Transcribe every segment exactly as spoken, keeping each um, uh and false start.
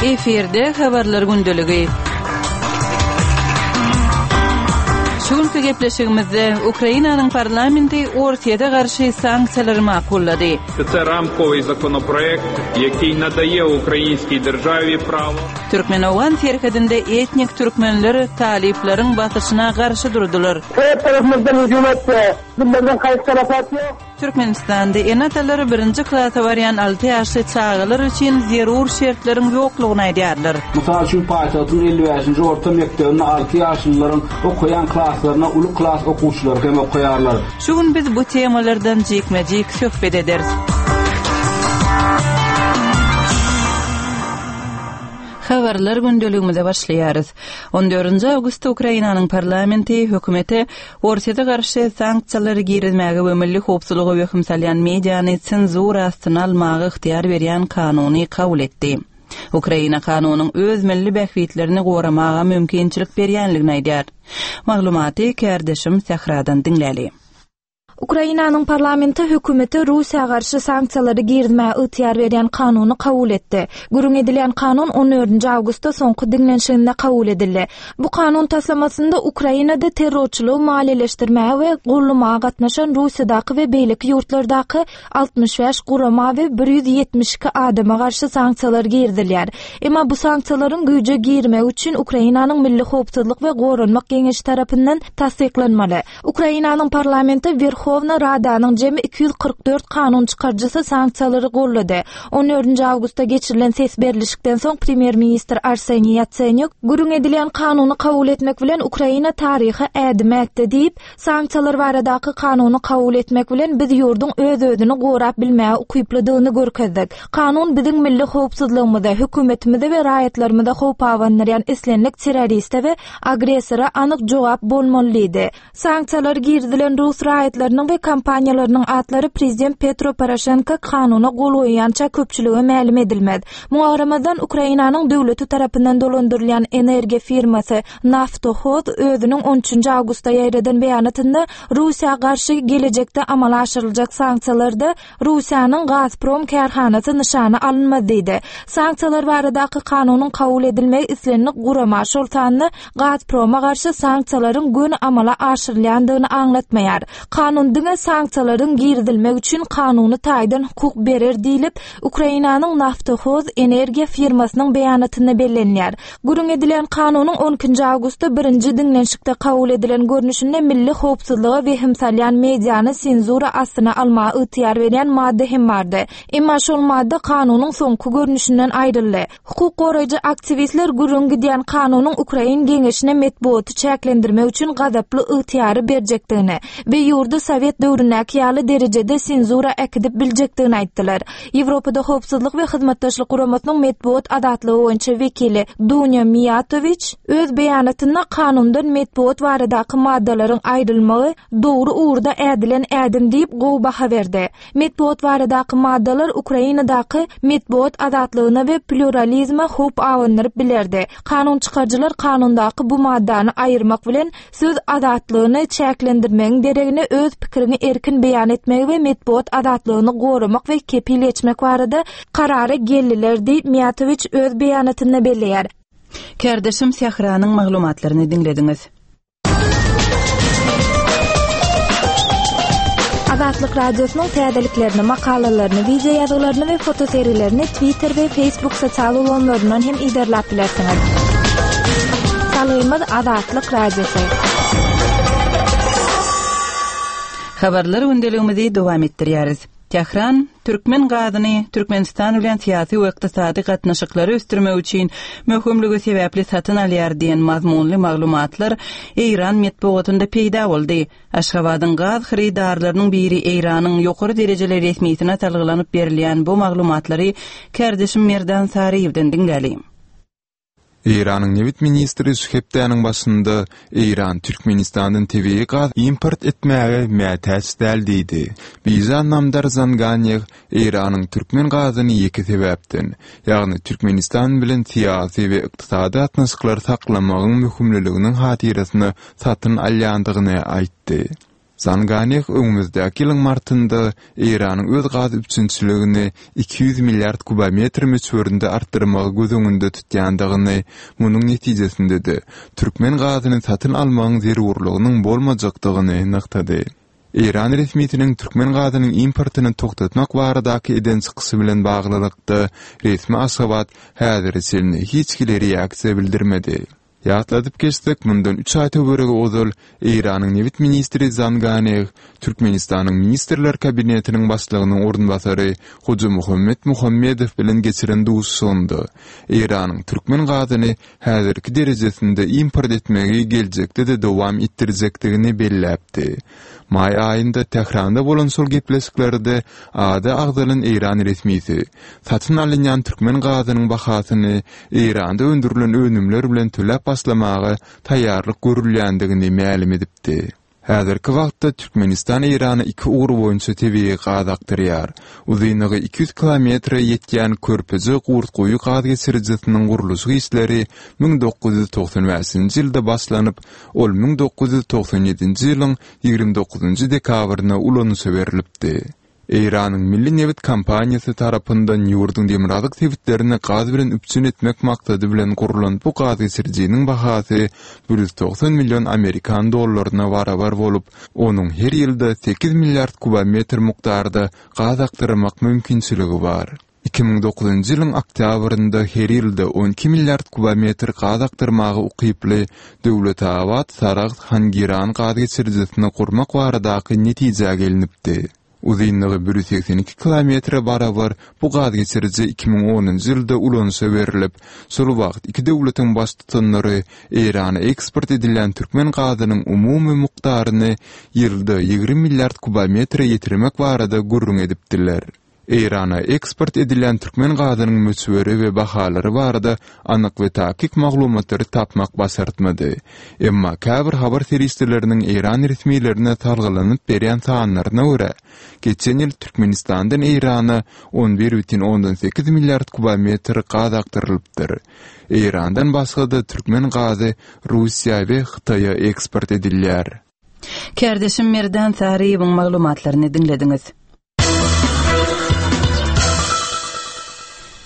Efirde habarlar gündeligi. Şu günki gepleşigimizde Ukrainanyň parlamenti Orsýete garşy sanksiýalary makullady. Це рамковий законопроект, який надає українській державі право Türkmen-owgan serhedinde etnik türkmenler talyplaryň basyşyna garşy durdular. Her tarafımızdan hücum etti. Bunlardan kayıp tarafat yok. Türkmenistanda ene-atalar birinji klasa barýan alty ýaşly çagalar üçin zerur şertleriň ýoklugyny aýdýarlar. Mysal üçin paýtagtyň elli bäşinji orta mekdebinde alty ýaşlylaryň okaýan klaslaryna uly klas okuwçylary hem okaýarlar. Şu gün biz bu temalardan jikme-jik söhbet ederis. Habarlar gündeligimize başlaýarys. On dördünji awgustda Ukrainanyň parlamenti hökümete Orsýete garşy sanksiýalary girizmäge we milli howpsuzlyga wehim salýan mediany senzura astyna almaga ygtyýar berýän kanuny kabul etdi. Ukraina kanunyň öz milli bähbitlerini goramaga mümkinçilik berýänligini aýdýar. Maglumaty kärdeşim Sähradan diňläli. Ukrainanyň parlamenti hökümeti Russiýa garşy sanksiýalary girizmäge ygtyýar berýän kanuny kabul etdi. Gürrüň edilýän kanun on dördünji awgustda soňky diňlenişiginde kabul edildi. Bu kanun taslamasynda Ukrainada terrorçylygy maliýeleşdirmäge we gollamaga gatnaşan Russiýadaky we beýleki ýurtlardaky altmyş bäş gurama we bir ýüz ýetmiş iki adama garşy sanksiýalar girizilýär. Emma bu sanksiýalaryň güýje girmegi üçin Ukrainanyň Milli Howpsuzlyk we Goranmak Geňeşi tarapyndan tassyklanmaly. Ukrainanyň parlamenti Werhowna Radanyň jemi iki ýüz kyrk dört kanun çykaryjysy sanksiýalary gollady. On dördünji awgustda geçirilen ses berlişikden soň premýer-ministr Arseniý Ýatsenýuk gürrüň edilýän kanuny kabul etmek bilen Ukraina taryhy ädim ätdi diýip, sanksiýalar baradaky kanuny kabul etmek bilen biz ýurduň öz-özüni gorap bilmäge ukyplydygyny görkezdik. Kanun biziň milli howpsuzlygymyza, hökümetimize we raýatlarymyza howp abandyrýan islendik terroriste we agressora anyk jogap bolmaly diýdi. Sanksiýalar girizilen rus raýatlarynyň we kompaniýalarynyň atlary prezident Petro Poroşenko kanuna gol goýýança köpçülige mälim edilmez. Muňa garamazdan Ukrainanyň döwleti tarapyndan dolandyrylýan energiýa firmasy Naftohoz özüniň on üçünji awgustda ýaýradan beýanatynda Russiýa garşy gelejekde amala aşyryljak sanksiýalarda Russiýanyň Gazprom kärhanasy nyşana alynmaz diýdi. Sanksiýalar baradaky kanunyň kabul edilmegi islendik gurama, şol sanda Gazproma garşy sanksiýalaryň göni amala aşyrylýandygyny aňlatmaýar. Kanun diňe sanksiýalaryň girizilmegi üçin kanuny taýdan hukuk berer diýlip, Ukrainanyň Naftohoz energiýa firmasynyň beýanatynda bellenýär. Gürrüň edilen kanunyň on ikinji awgustda birinji diňlenişikde kabul edilen görnüşinde milli howpsuzlyga wehim salýan mediany senzura astyna almaga ygtyýar berýän madda hem bardy. Emma şol madda kanunyň soňky görnüşinden aýryldy. Hukuk goraýjy aktiwistler gürrüň gidýän kanunyň Ukrain geňeşine metbugaty çäklendirmek üçin gazaply ygtyýary berjekdigini we ýurdy Sowet döwründäki ýaly derejede senzura äkidip biljekdigini aýtdylar. Ýewropada howpsuzlyk we hyzmatdaşlyk guramasynyň metbugat azatlygy boýunça wekili Dunýa Miýatowiç öz beýanatynda kanundan metbugat baradaky maddalaryň aýrylmagy dogry ugurda ädilen ädim diýip gowy baha berdi. Metbugat baradaky maddalar Ukrainadaky metbugat azatlygyna we pluralizme howp abandyryp bilerdi. Kanun çykaryjylar kanundaky bu maddany aýyrmak bilen söz azatlygyny çäklendirmegiň deregine öz pikirini erkin beýan etmegi we metbugat azatlygyny goramak we kepil geçmek barada karara geldiler diýip Miýatowiç öz beýanatynda belleýär. Kärdeşim Sähranyň maglumatlaryny diňlediňiz. Azatlyk Radiosynyň täzeliklerini, makalalaryny, video ýazgylaryny we fotoserilerini Twitter we Facebook sosial ulgamlaryndan hem iderläp bilersiňiz. Salgymyz Azatlyk Radiosy. Habarlar gündeligimizi dowam etdirýäris. Tehran türkmen gazyny Türkmenistan bilen syýasy we ykdysady gatnaşyklary ösdürmek üçin möhümligi sebäpli satyn alýar diýen mazmunly maglumatlar Eýran metbugatynda peýda boldy. Aşgabadyň gaz hyrydarlarynyň biri Eýranyň ýokary derejeli resmisine salgylanyp berilýän bu maglumatlary kärdeşim Merdan Saryýewden diňläli. Eýranyň nebit ministri şu hepdäniň başynda Eýran Türkmenistandan tebigy gaz import etmäge mätäç däl diýdi. Bijan Namdar Zanganýew Eýranyň türkmen gazyny ýeke sebäpden, ýagny Türkmenistan bilen syýasy we ykdysady gatnaşyklary saklamagyň möhümliliginiň hatyrasyna satyn alýandygyny aýtdy. Zanganeh öňümizdäki ýylyň martynda Eýranyň öz gaz üpjünçiligini iki ýüz milliard kubometr möçberinde artdyrmagy göz öňünde tutýandygyny, munuň netijesinde-de türkmen gazyny satyn almagyň zerurlygynyň bolmajakdygyny nygtady. Eýran resmisiniň türkmen gazynyň importyny togtatmak baradaky eden çykyşy bilen baglylykda, resmi Aşgabat häzire çenli hiç hili reaksiýa bildirmedi. Ýatladyp geçsek, mundan üç aý töweregi ozal Eýranyň nebit ministri Zanganeh Türkmenistanyň Ministrler Kabinetiniň Başlygynyň orunbasary Hojamuhammet Muhammedow bilen geçiren duşuşygynda Eýranyň türkmen gazyny häzirki derejesinde import etmegi geljekde-de dowam etdirjekdigini belläpdi. Maý aýynda Tähranda bolan şol gepleşiklerde ady agzalan eýran resmisi satyn alynýan türkmen gazynyň bahasyny Eýranda öndürilen önümler bilen töläp başlamaga taýýarlyk görülýändigini mälim edipdi. Häzirki wagtda Türkmenistan Eýrana iki ugur boýunça tebigy gaz akdyrýar. Uzynlygy iki ýüz kilometre ýetýän Körpeje-Gurtguýy gaz geçirijisiniň gurluşyk işleri müň dokuz ýüz togsan bäşinji ýylda başlanyp, ol müň dokuz ýüz togsan ýedinji ýylyň ýigrimi dokuzynjy dekabrynda ulanyşa berlipdi. Eýranyň Milli nebit kompaniýasy tarapyndan ýurduň demirgazyk sebitlerini gaz bilen üpjün etmek maksady bilen gurlan bu gaz geçirijiniň bahasy bir ýüz togsan million amerikan dollaryna barabar bolup, onuň her ýylda sekiz milliard kubometr mukdarda gaz akdyrmak mümkinçiligi bar. Iki müň dokuzynjy ýylyň oktýabrynda her ýylda on iki milliard kubometr gaz akdyrmaga ukyply Döwletabat-Saragt-Hangiran gaz geçirijisini gurmak baradaky netijä gelnipdi. Uzynlygy bir ýüz segsen iki kilometre barabar bu gaz geçiriji iki müň onunjy ýylda ulanyşa berlip, şol wagt iki döwletiň baştutanlary Eýrana eksport edilýän türkmen gazynyň umumy mukdaryny ýylda ýigrimi milliard kubometre ýetirmek barada gürrüň edipdiler. Eýrana eksport edilýän türkmen gazynyň möçberi we bahalary barada anyk we takyk maglumatlary tapmak başartmady. Emma käbir habar serişdeleriniň Eýran resmilerine salgylanyp berýän sanlaryna görä, geçen ýyl Türkmenistandan Eýrana on bir bütin ondan sekiz milliard kubometr gaz akdyrylypdyr. Eýrandan başga-da türkmen gazy Russiýa we Hytaýa eksport edilýär. Kärdeşim Merdan Saryýewiň maglumatlaryny diňlediňiz.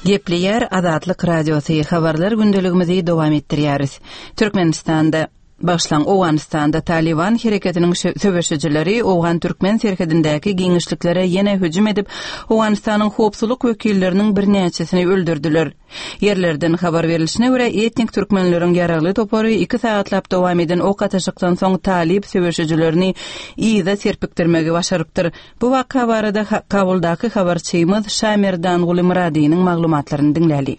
Gepleýär Azatlyk Radiosy, habarlar gündeligimizi dowam etdirýäris. Türkmenistanda, başlan Owganystanda Taliban hereketiniň söweşijileri Owgan-Türkmen serhedindäki giňişliklere ýene hüjüm edip, Owganystanyň howpsuzlyk wekilleriniň birnäçesini öldürdiler. Ýerlerden habar berilişine görä, etnik türkmenleriň ýaragly topary iki sagatlap dowam eden ok atyşykdan soň Talib söweşijilerini yza serpikdirmegi başarypdyr. Bu waka barada Kabuldaky habarçymyz Şamerdanguly Myradynyň maglumatlaryny diňläli.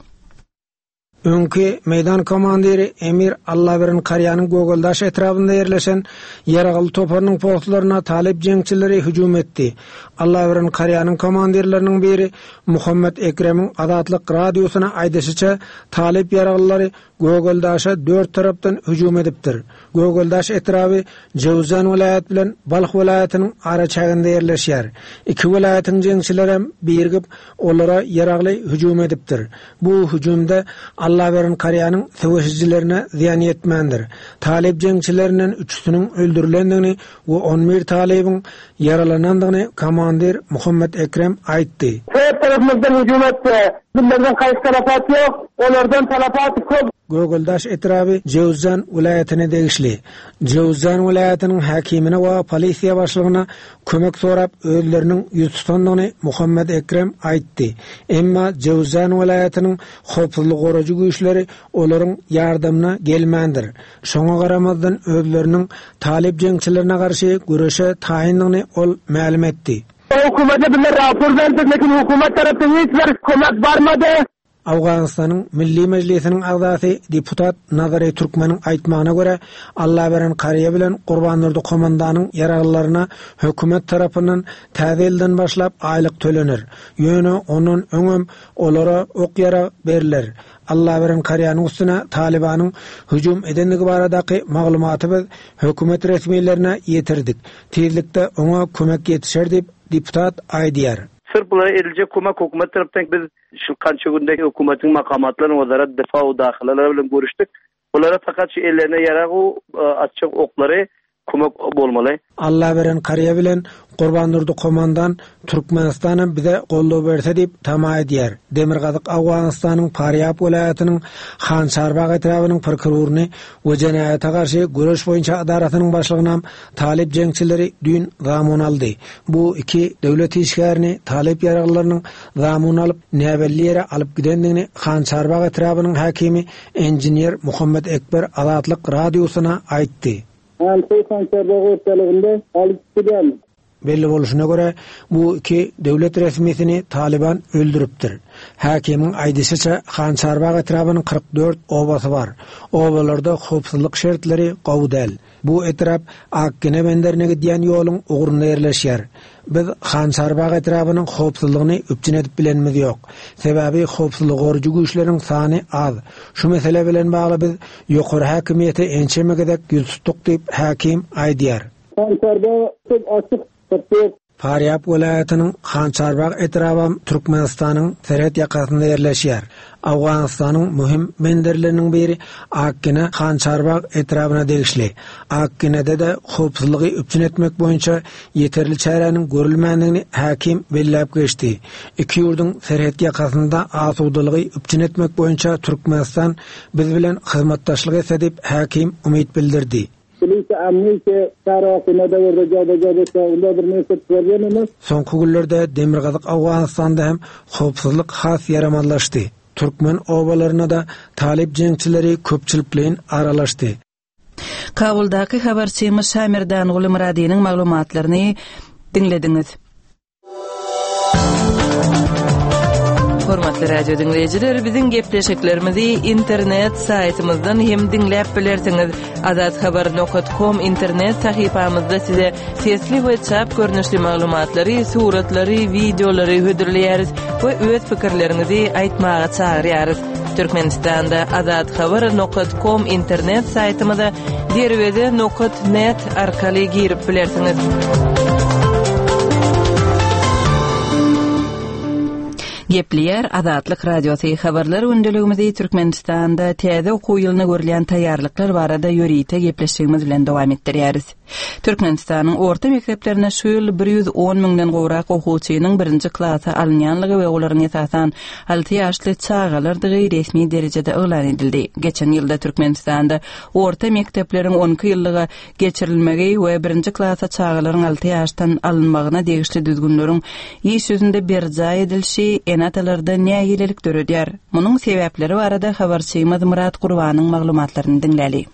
Öňki meýdan komandiri Emir Allaberin Karýanyň Gögeldaş etrabynda ýerleşen ýaragly toparynyň postlaryna Talip jeňçileri hüjüm etdi. Allaberin Karýanyň komandirleriniň biri Muhammed Ekremiň Azatlyk radiosyna aýdyşyça Talip ýaraglylary Gögeldaşa dört tarapdan hüjüm edipdir. Gögeldaş etraby Jewzan welaýat bilen Balh welaýatynyň araçäginde ýerleşýär. Iki welaýatyň jeňçileri birigip olara ýaragly hüjüm edipdir. Bu hüjümde Allaberin Karýanyň söweşijilerine zyýan ýetmändir. Talip jeňçilerinden üçüsiniň öldürilendigini we on bir talibiň ýaralanandygyny komandir Muhammed Ekrem aýtdy. Dört tarapymyzdan hüjüm etdi. Bizlerden kaýsy talafat ýok, olardan talafat köp. Gögeldaş etraby Jewzan welaýatyna degişli. Jewzan welaýatynyň häkimine we polisiýa başlygyna kömek sorap özleriniň ýüz tutandygyny Muhammed Ekrem aýtdy. Emma Jewzan welaýatynyň howpsuzlyk gorajy güýçleri olaryň ýardamyna gelmändir. Şoňa garamazdan özleriniň Talip jeňçilerine garşy göreşe taýyndygyny ol mälim etdi. Hükümete bizler rapor berdik, lekin hükümet tarapdan hiç bir kömek barmady. Awganystanyň Milli Mejlisiniň agzasy deputat Nazary Türkmeniň aýtmagyna görä, Allaberen Kariýa bilen Gurbandurdy komandanyň ýaraglylaryna hökümet tarapyndan täze ýyldan başlap aýlyk tölenir. Ýöne ondan öňem olara ok ýarag beriler. Allaberen Kariýanyň üstüne Talibanyň hüjüm edendigi baradaky maglumaty biz hökümet resmilerine ýetirdik. Tizlikde oňa kömek ýetişer diýip deputat aýdýar. Sırf bulara edilecek kömek hökümet tarapdan biz şu kança günde hükümetin makamatlaryny wazarat defa u dahylalar bilen görüşdik. Bulara fakat şu ellerine ýarag u, e, atjak oklary Kömek bolmaly. Allaberen Karýa bilen Gurbandurdy komandan Türkmenistanyň bize goldaw berse diýip tama edýär. Demirgazyk Awganystanyň Farýab welaýatynyň Hançarbag etrabynyň prokuroryny we jenaýata garşy göreş boýunça edarasynyň başlygyna Talyp jeňçileri düýn zamun aldy. Bu iki döwlet işgärini Talyp ýaraglylarynyň zamun alyp näbelli ýere alyp gidendigini Hançarbag etrabynyň häkimi engineer Muhammed Ekber Azatlyk radiosyna aýtdy. Alty Hançarbag ortalygynda alyp giden. Belli bolşuna göre bu iki döwlet resmisini Taliban öldüripdir. Häkimiň aýdyşyça Hançarbag etrabynyň kyrk dört obasy bar. Obalarda howpsuzlyk şertleri gowy däl. Bu etrap Akgene benderine gidýän ýoluň ugrunda ýerleşýär. Biz Hançarbag etrabynyň howpsuzlygyny üpjün edip bilenimiz ýok. Sebäbi howpsuzlyk gorucu güýçleriň sany az. Şu mesele bilen bagly biz ýokary häkimiýete ençeme gezek ýüz tutduk diýip häkim aýdýar. Hançarbag açyk kyrk dört. Farýab welaýatynyň Hançarbag etraby Türkmenistanyň serhet ýakasynda ýerleşýär. Awganystanyň möhüm benderleriniň biri Akgene Hançarbag etrabyna degişli. Akgenede de howpsuzlygy üpjün etmek boýunça ýeterli çäräniň görülmändigini häkim belläp geçdi. Iki ýurduň serhet ýakasynda asudalygy üpjün etmek boýunça Türkmenistan biz bilen hyzmatdaşlyk etse diýip häkim umyt bildirdi. Soňky günlerde Demirgazyk Awganystanda hem howpsuzlyk has ýaramazlaşdy. Türkmen obalaryna da Talyp jeňçileri köpçülikleýin aralaşdy. Kabuldaky habarçymyz Şamirdan Gulmyradynyň maglumatlaryny diňlediňiz. Hormatly radio dinleýjiler, biziň gepleşiklerimizi internet saýtymyzdan hem diňläp bilersiňiz. Azathabar nokta com internet sahypamyzda size sesli we çap görnüşli maglumatlary, suratlary, wideolary hödürleýäris we öz pikirleriňizi aýtmaga çagyrýarys. Türkmenistanda azathabar nokta com internet saýtymyza derweze nokta net arkaly girip bilersiňiz. Gepleýär Azatlyk Radiosy habarlar gündeligimizi Türkmenistanda täze okuw ýylyna görülýän taýýarlyklar barada ýörite gepleşigimiz bilen dowam etdirýäris. Türkmenistanyň orta mekdeplerine şu ýyl bir ýüz on müňden gowrak okuwçynyň birinji klasa alynýanlygy we olaryň esasan alty ýaşly çagalardygy resmi derejede yglan edildi. Geçen ýylda Türkmenistanda orta mekdepleriň on iki ýyllyga geçirilmegi we birinji klasa çagalaryň alty ýaşdan alynmagyna degişli düzgünleriň iş ýüzünde berjaý edilişi ene-atalarda nägilelik döredýär. Munuň sebäpleri barada habarçymyz Murat Gurbanyň maglumatlaryny diňläli.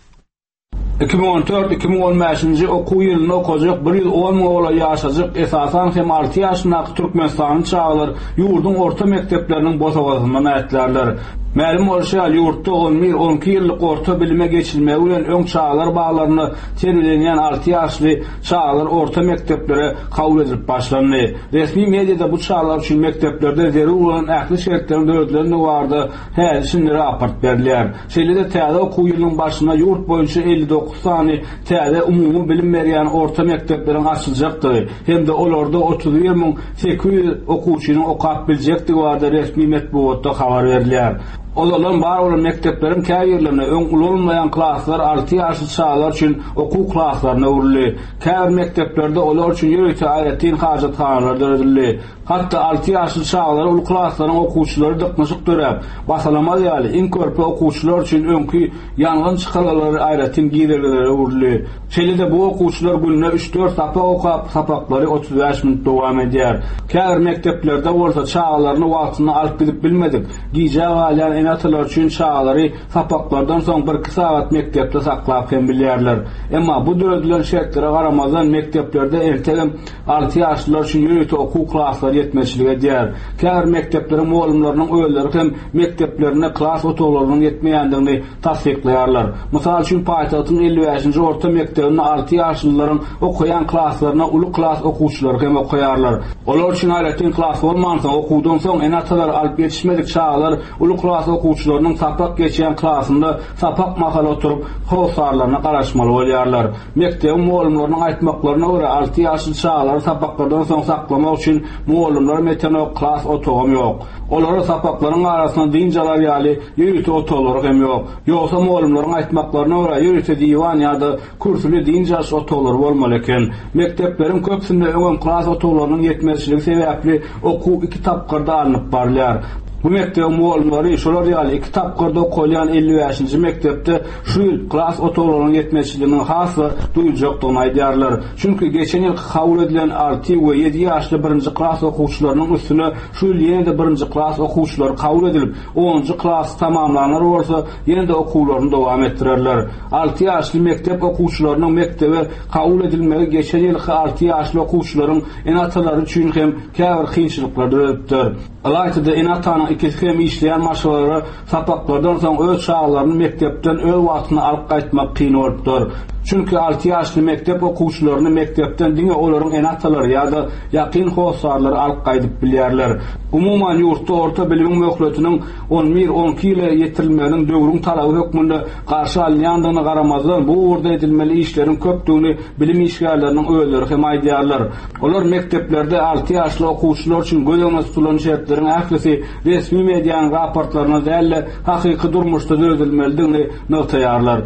iki müň on dört iki müň on beşinji okuw ýylynda okajak bir ýüz on müň ogla ýaşajyk esasan hem alty ýaşyndaky Türkmenistanyň çagalar ýurduň orta mekdepleriniň bosagasyndan ätlärler. Mälim bolşy ýaly ýurtda on bir on iki ýyllyk orta bilime geçilmegi bilen öň çagalar baglaryna terbiýelenýän alty ýaşly çagalar orta mekdeplere kabul edilip başlandy. Resmi mediada bu çagalar üçin mekdeplerde zerur bolan ähli şertleriň döredilendigi barada häzir şimdi raport berilýär. Şeýle-de täze okuw ýylynyň başynda ýurt boýunça elli dokuz sany täze umumy bilim berýän orta mekdepleriň açyljakdygy hem-de olarda otuz bir müň sekiz ýüz okuwçynyň okap biljekdigi barada resmi metbugatda habar berilýär. Ozalan bar bolan mekdepleriň käbirlerine öň ulanylmaýan klaslar alty ýaşly çagalar üçin okuw klaslaryna öwrüldi. Käbir mekdeplerde olar üçin ýörite aýratyn hajathanalar döredildi. Hatda alty ýaşly çagalar uly klaslaryň okuwçylary dyknyşyk döräp, basalamaz ýaly iň körpe okuwçylar üçin öňki ýangyn çykalgalary aýratyn girelgelere öwrüldi. Şeýle-de bu okuwçylar günde üç dört sapak okap, sapaklary otuz bäş minut dowam edýär. Käbir mekdeplerde bolsa çagalaryny wagtynda alyp gidip bilmedik, gijä galýan ene-atalar üçin çagalary sapaklardan soň bir iki sagat mekdepde saklap hem bilýärler. Emma bu döredilen şertlere garamazdan mekdeplerde entegem alty ýaşlylar üçin ýörite okuw klaslary ýetmezçilik edýär. Käbir mekdepleriň mugallymlarynyň özleri hem mekdeplerinde klas otaglarynyň ýetmeýändigini tassyklaýarlar. Mysal üçin paýtagtyň elli bäşinji orta mekdebinde alty ýaşlylaryň okaýan klaslaryna uly klas okuwçylary hem okaýarlar. Olar üçin aýratyn klas bolmansoň, okuwdan soň ene-atalar alyp ýetişmedik çagalar uly klas okuwçylarynyň sapak geçýän klasynda sapak mahaly oturyp, hossarlaryna garaşmaly bolýarlar. Mekdebiň mugallymlarynyň aýtmaklaryna görä, alty ýaşly çagalary sapaklardan soň saklamak üçin mugallymlar ýetenok, klas otagam ýok. Olara sapaklaryň arasynda dynç alar ýaly ýörite otaglary hem ýok. Ýogsa mugallymlaryň aýtmaklaryna görä, ýörite diwan ýa-da kürsüli dynç alyş otaglary bolmaly eken. Mekdepleriň köpüsinde öňem klas otaglarynyň ýetmezçiligi sebäpli okuw iki tapgyrda alnyp barylýar. Bu mekdebiň mugallymlary şolar ýaly iki tapgyrda okalýan elli bäşinji mekdepde şu ýyl klas otaglarynyň ýetmezçiliginiň has-da duýuljakdygyny aýdýarlar. Çünki geçen ýyl kabul edilen alty we ýedi ýaşly birinji klas okuwçylarynyň üstüne şu ýyl ýene-de birinji klas okuwçylary kabul edilip, onunjy klasy tamamlanlar bolsa ýene-de okuwlaryny dowam etdirerler. Alty ýaşly mekdep okuwçylarynyň mekdebe kabul edilmegi geçen ýylky alty ýaşly okuwçylaryň ene-atalary üçin hem käbir kynçylyklar döredipdir. Ylaýta-da ene-atanyň ikisi hem işleýän maşgalalara sapaklardan soň öz çagalaryny mekdepden öz wagtynda alyp gaýtmak kyn bolupdyr. Çünki alty ýaşly mekdep okuwçylaryny mekdepden diňe olaryň ene-atalary ýa-da ýakyn hossarlary alyp gaýdyp bilýärler. Umuman ýurtda orta bilimiň möhletiniň on bir on iki ýyla ýetirilmeginiň döwrüň talaby hökmünde garşy alynýandygyna garamazdan bu ugurda edilmeli işleriň köpdügini bilim işgärleriniň özleri hem aýdýarlar. Olar mekdeplerde alty ýaşly okuwçylar üçin göz öňünde tutulan şertleriň ählisi resmi medianyň raportlaryna däl-de hakyky durmuşda döredilmelidigini nygtaýarlar.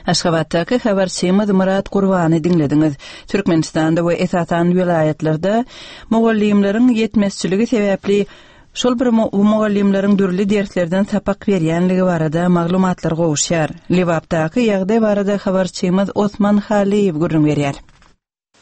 Aşgabatdaky habarçymyz Murat Gurbany diňlediňiz. Türkmenistanda we esasan welaýatlarda mugallymlaryň ýetmezçiligi sebäpli şol bir mugallymlaryň dürli derslerden sapak berýänligi barada maglumatlar gowuşýar. Lebapdaky ýagdaý barada habarçymyz Osman Haliýew gürrüň berýär.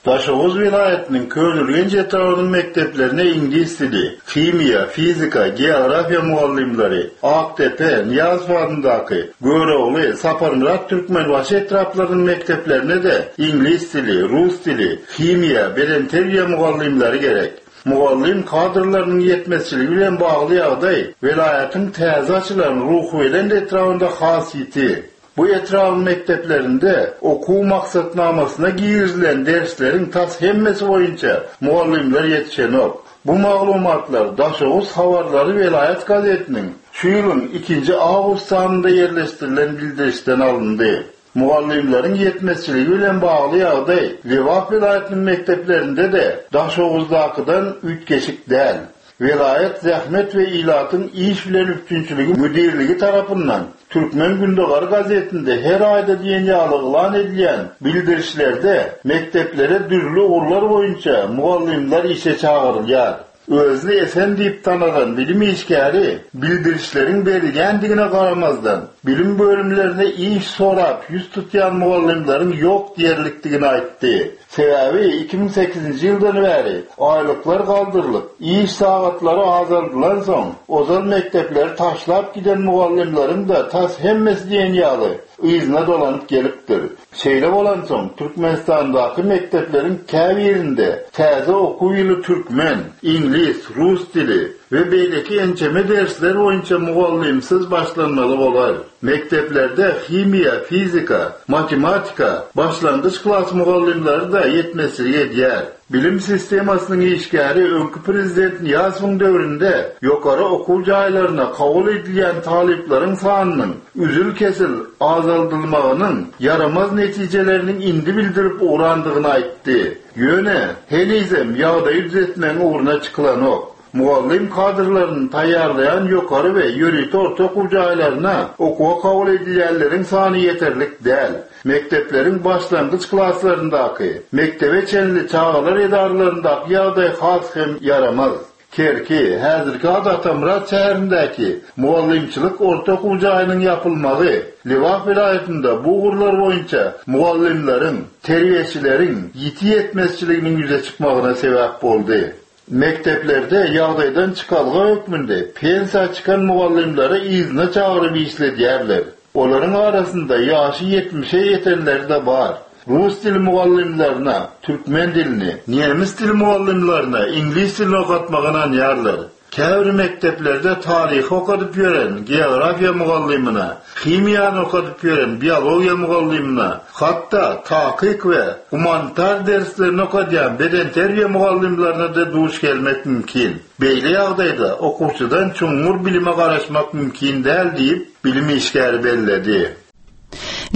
Daşoguz welaýatynyň Köneürgenç etrabynyň mekdeplerine iňlis dili, himiýa, fizika, geografiýa mugallymlary, Aktepe, Niýazow adyndaky, Görogly, Saparmyrat Türkmenbaşy etraplarynyň mekdeplerine-de iňlis dili, rus dili, himiýa, bedenterbiýe mugallymlary gerek. Mugallym kadrlarynyň ýetmezçiligi bilen bagly ýagdaý welaýatyň täze açylan Ruhubelent etrabynda has ýiti. Bu etrabın mekdeplerinde okuw maksatnamasyna girizilen dersleriň tas hemmesi boýunça mugallymlar ýetişenok. Bu maglumatlar Daşoguz habarlary welaýat gazetiniň şu ýylyň ikinji awgust sanynda ýerleşdirilen bildirişden alyndy. Mugallymlaryň ýetmezçiligi bilen bagly ýagdaý Lebap welaýatynyň mekdeplerinde de Daşoguzdakydan üýtgeşik däl. Welaýat Zähmet we Ilatyň iş bilen üpjünçiligi müdirligi tarapyndan Türkmen Gündogary gazetinde her aýda diýen ýaly yglan edilýän bildirişlerde mekdeplere dürli ugurlar boýunça mugallymlar işe çagyrylýar. Özüni Esen diýip tanadan bilim işgäri bildirişleriň berilýändigine garamazdan bilim bölümlerine iş sorap ýüz tutýan mugallymlaryň ýok diýerlikdigini aýtdy. Sebäbi iki müň sekizinji ýyldan bäri aýlyklar galdyrylyp, iş sagatlary azaldylan soň ozal mekdepleri taşlap giden mugallymlaryň da tas hemmesi diýen ýaly yzyna dolanyp gelipdir. Şeýle bolansoň Türkmenistandaky mekdepleriň käbirinde täze okuw ýyly türkmen, iňlis, rus dili we beýleki ençeme dersler boýunça mugallymsyz başlanmaly bolar. Mekdeplerde himiýa, fizika, matematika, başlangyç klas mugallymlary da ýetmezçilik edýär. Bilim sistemasynyň işgäri öňki prezident Niýazowyň döwründe ýokary okuw jaýlaryna kabul edilýän talyplaryň sanynyň üzül-kesil azaldylmagynyň ýaramaz netijeleriniň indi bildirip ugrandygyny aýtdy. Ýöne henizem ýagdaýy düzetmegiň ugruna çykylanok. Mugallym kadrlaryny taýýarlaýan ýokary we ýörite orta okuw jaýlaryna okuwa kabul edilýänleriň sany ýeterlik däl. Mekdepleriň başlangyç klaslaryndaky, mektebe çenli çagalar edaralaryndaky ýagdaý has hem ýaramaz. Kerki, häzirki ady Atamyrat şäherindäki mugallymçylyk orta okuw jaýynyň ýapylmagy Lebap welaýatynda bu ugurlar boýunça mugallymlaryň, terbiýeçileriň ýiti ýetmezçiliginiň ýüze çykmagyna sebäp boldy. Mekdeplerde ýagdaýdan çykalga hökmünde pensiýa çykan mugallymlary yzyna çagyryp işledýärler. Olaryň arasynda ýaşy ýetmişe ýetenleri de bar. Rus dili mugallymlaryna türkmen dilini, nemes dili mugallymlaryna iňlis dilini okatmagy ynanýarlar. Käbir mekdeplerde taryhy okadyp ýören geografiýa mugallymyna, himiýany okadyp ýören biologiýa mugallymyna, hatda takyk we gumanitar derslerini okadýan bedenterbiýe mugallymlaryna-da duş gelmek mümkin. Beýle ýagdaýda okuwçydan çuňňur bilime garaşmak mümkin däl diýip, bilim işgäri belledi.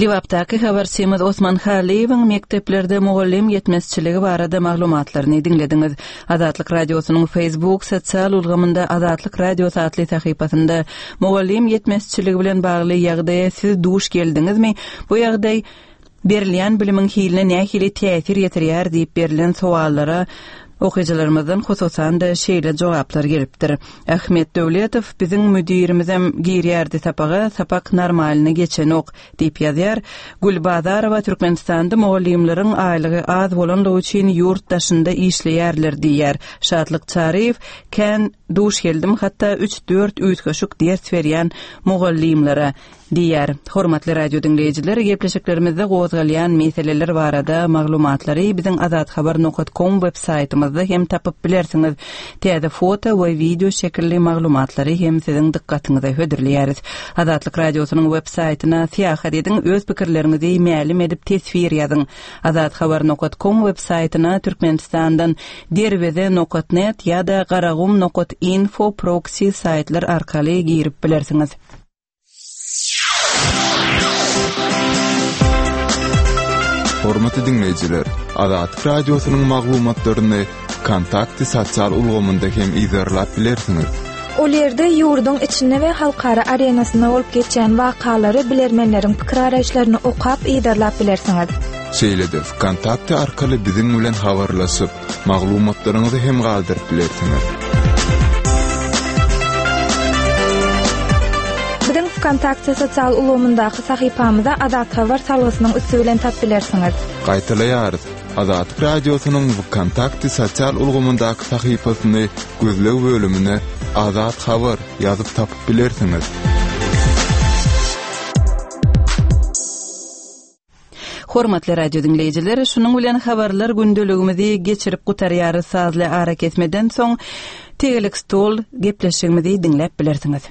Lebapdaky habarçymyz Osman Halyýewiň mekdeplerde mugallym ýetmezçiligi barada maglumatlaryny diňlediňiz. Azatlyk Radiosynyň Facebook sosial ulgamynda Azatlyk Radiosy atly sahypasynda mugallym ýetmezçiligi bilen bagly ýagdaýa siz duş geldiňizmi? Bu ýagdaý berilýän bilimiň hiline nähili täsir ýetirýär diýip berlen sowallara okyjylarymyzdan hususan-da şeýle jogaplar gelipdir. Ahmet Döwletow biziň müdirimizem girýärdi sapaga, sapak normalny geçenok diýip ýazýar. Gülbazarowa Türkmenistanda mugallymlaryň aýlygy az bolanlygy üçin ýurt daşynda işleýärler diýýär. Şatlyk Çaryýew kän duş geldim, hatda üç-dört üýtgeşik ders berýän mugallymlara diýýär. Hormatly radio diňleýjiler, gepleşiklerimizde gozgalýan meseleler barada maglumatlary biziň azathabar nokta com web saýtymyzda hem tapyp bilersiňiz. Täze foto we wideo şekilli maglumatlary hem siziň dykgatyňyza hödürleýäris. Azatlyk Radiosynyň web saýtyna syýahat ediň, öz pikirleriňizi mälim edip teswir ýazyň. Azathabar nokta com web saýtyna Türkmenistandan derweze nokta net ýa-da garagum nokta info proxy saýtlar arkaly girip bilersiňiz. Hormatly diňleýjiler, Azatlyk Radiosynyň maglumatlaryny Kontakty sosial ulgamynda hem yzarlap bilersiňiz. Ol ýerde ýurduň içinde we halkara arenasynda bolup geçýän wakalary bilermenleriň pikir araýyşlaryny okap yzarlap bilersiňiz. Şeýle-de Kontakty arkaly biziň bilen habarlaşyp, maglumatlaryňyzy hem galdyryp bilersiňiz. Biziň Kontakty sosial ulgamyndaky sahypamyza Azat Habar salgysynyň üsti bilen tap bilersiňiz. Gaýtalaýarys. Azatlyk Radiosynyň Kontakty sosial ulgamyndaky sahypasyny gözleg bölümine Azat Habar ýazyp tapyp bilersiňiz. Hormatly radio diňleýjiler, şunuň bilen habarlar gündeligimizi geçirip gutarýarys. Sazly ara kesmeden soň tegelek stol gepleşigimizi diňläp bilersiňiz.